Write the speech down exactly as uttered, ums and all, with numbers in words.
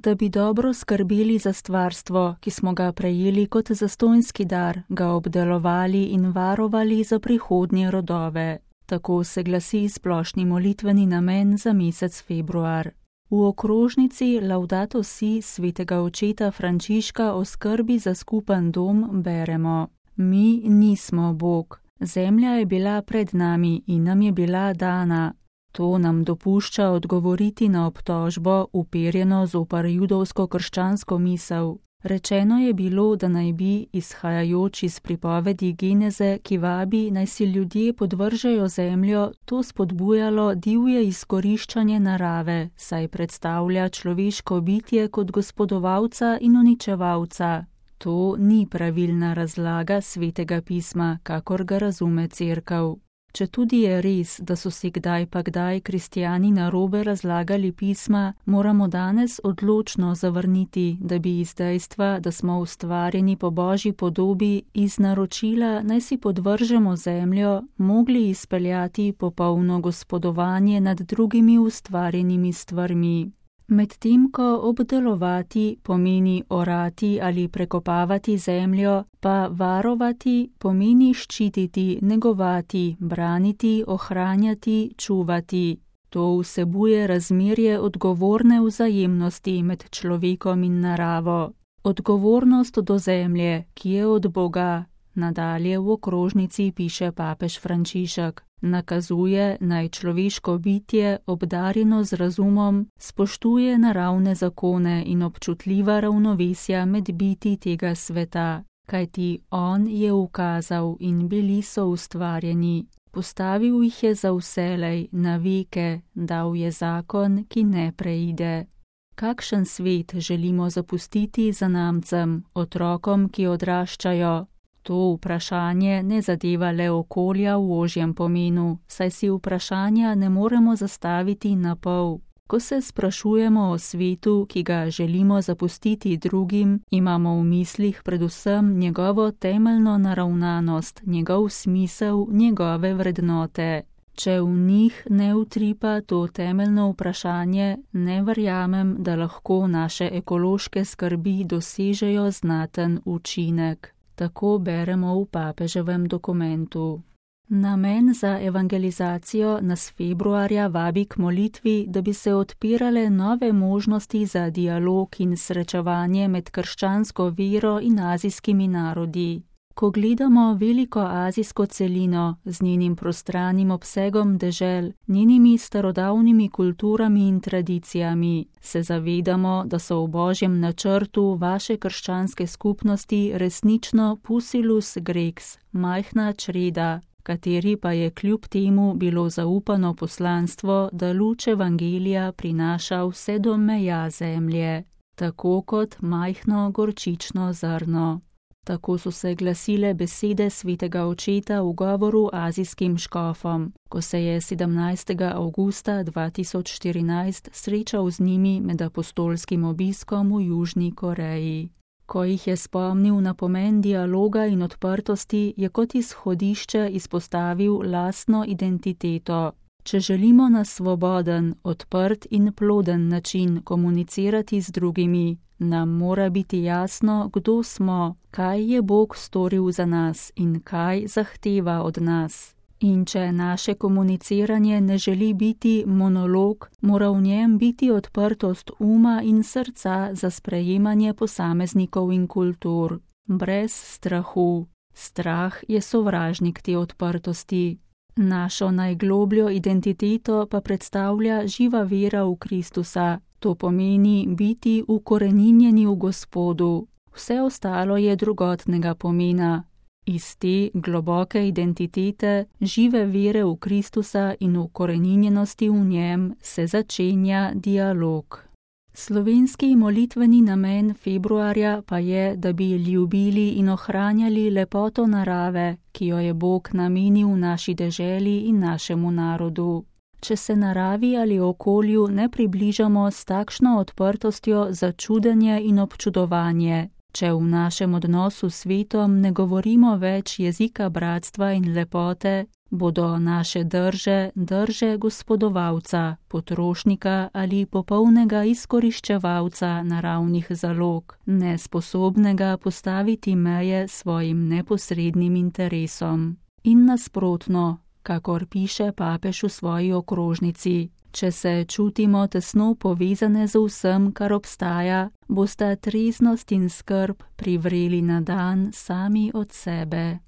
da bi dobro skrbeli za stvarstvo, ki smo ga prejeli kot zastonjski dar, ga obdelovali in varovali za prihodnje rodove. Tako se glasi splošni molitveni namen za mesec februar. V okrožnici Laudato si svetega očeta Frančiška o skrbi za skupen dom beremo: Mi nismo Bog. Zemlja je bila pred nami in nam je bila dana. To nam dopušča odgovoriti na obtožbo, uperjeno zoper judovsko-krščansko misel. Rečeno je bilo, da naj bi, izhajajoč iz pripovedi Geneze, ki vabi, naj si ljudje podvržejo zemljo, to spodbujalo divje izkoriščanje narave, saj predstavlja človeško bitje kot gospodovalca in uničevalca. To ni pravilna razlaga svetega pisma, kakor ga razume cerkev. Četudi je res, da so si kdaj pa kdaj kristjani narobe razlagali pisma, moramo danes odločno zavrniti, da bi iz dejstva, da smo ustvarjeni po Božji podobi, iz naročila naj si podvržemo zemljo, mogli izpeljati popolno gospodovanje nad drugimi ustvarjenimi stvarmi. Medtem ko obdelovati pomeni orati ali prekopavati zemljo, pa varovati pomeni ščititi, negovati, braniti, ohranjati, čuvati. To vsebuje razmerje odgovorne vzajemnosti med človekom in naravo. Odgovornost do zemlje, ki je od Boga, nadalje v okrožnici piše papež Frančišek, nakazuje, naj človeško bitje, obdarjeno z razumom, spoštuje naravne zakone in občutljiva ravnovesja med biti tega sveta, kajti on je ukazal in bili so ustvarjeni. Postavil jih je za vselej, na veke, dal je zakon, ki ne preide. Kakšen svet želimo zapustiti zanamcem, otrokom, ki odraščajo? To vprašanje ne zadeva le okolja v ožjem pomenu, saj si vprašanja ne moremo zastaviti na pol. Ko se sprašujemo o svetu, ki ga želimo zapustiti drugim, imamo v mislih predvsem njegovo temeljno naravnanost, njegov smisel, njegove vrednote. Če v njih ne utripa to temeljno vprašanje, ne verjamem, da lahko naše ekološke skrbi dosežejo znaten učinek. Tako beremo v papeževem dokumentu. Namen za evangelizacijo nas februarja vabi k molitvi, da bi se odpirale nove možnosti za dialog in srečevanje med krščansko vero in azijskimi narodi. Ko gledamo veliko azijsko celino z njenim prostranim obsegom dežel, njenimi starodavnimi kulturami in tradicijami, se zavedamo, da so v Božjem načrtu vaše krščanske skupnosti resnično pusilus grex, majhna čreda, kateri pa je kljub temu bilo zaupano poslanstvo, da luč evangelija prinaša vse do meja zemlje, tako kot majhno gorčično zrno. Tako so se glasile besede svetega očeta v govoru azijskim škofom, ko se je sedemnajstega avgusta dva tisoč štirinajst srečal z njimi med apostolskim obiskom v Južni Koreji. Ko jih je spomnil na pomen dialoga in odprtosti, je kot izhodišče izpostavil lastno identiteto. Če želimo na svoboden, odprt in ploden način komunicirati z drugimi, nam mora biti jasno, kdo smo, kaj je Bog storil za nas in kaj zahteva od nas. In če naše komuniciranje ne želi biti monolog, mora v njem biti odprtost uma in srca za sprejemanje posameznikov in kultur, brez strahu. Strah je sovražnik te odprtosti. Našo najglobljo identiteto pa predstavlja živa vera v Kristusa. To pomeni biti ukoreninjeni v Gospodu. Vse ostalo je drugotnega pomena. Iz te globoke identitete, žive vere v Kristusa in ukoreninjenosti v njem se začenja dialog. Slovenski molitveni namen februarja pa je, da bi ljubili in ohranjali lepoto narave, ki jo je Bog namenil naši deželi in našemu narodu. Če se naravi ali okolju ne približamo s takšno odprtostjo za čudenje in občudovanje, če v našem odnosu s svetom ne govorimo več jezika bratstva in lepote, bodo naše drže drže gospodovalca, potrošnika ali popolnega izkoriščevalca naravnih zalog, nesposobnega postaviti meje svojim neposrednim interesom. In nasprotno, kakor piše papež v svoji okrožnici, če se čutimo tesno povezane z vsem, kar obstaja, bosta treznost in skrb privreli na dan sami od sebe.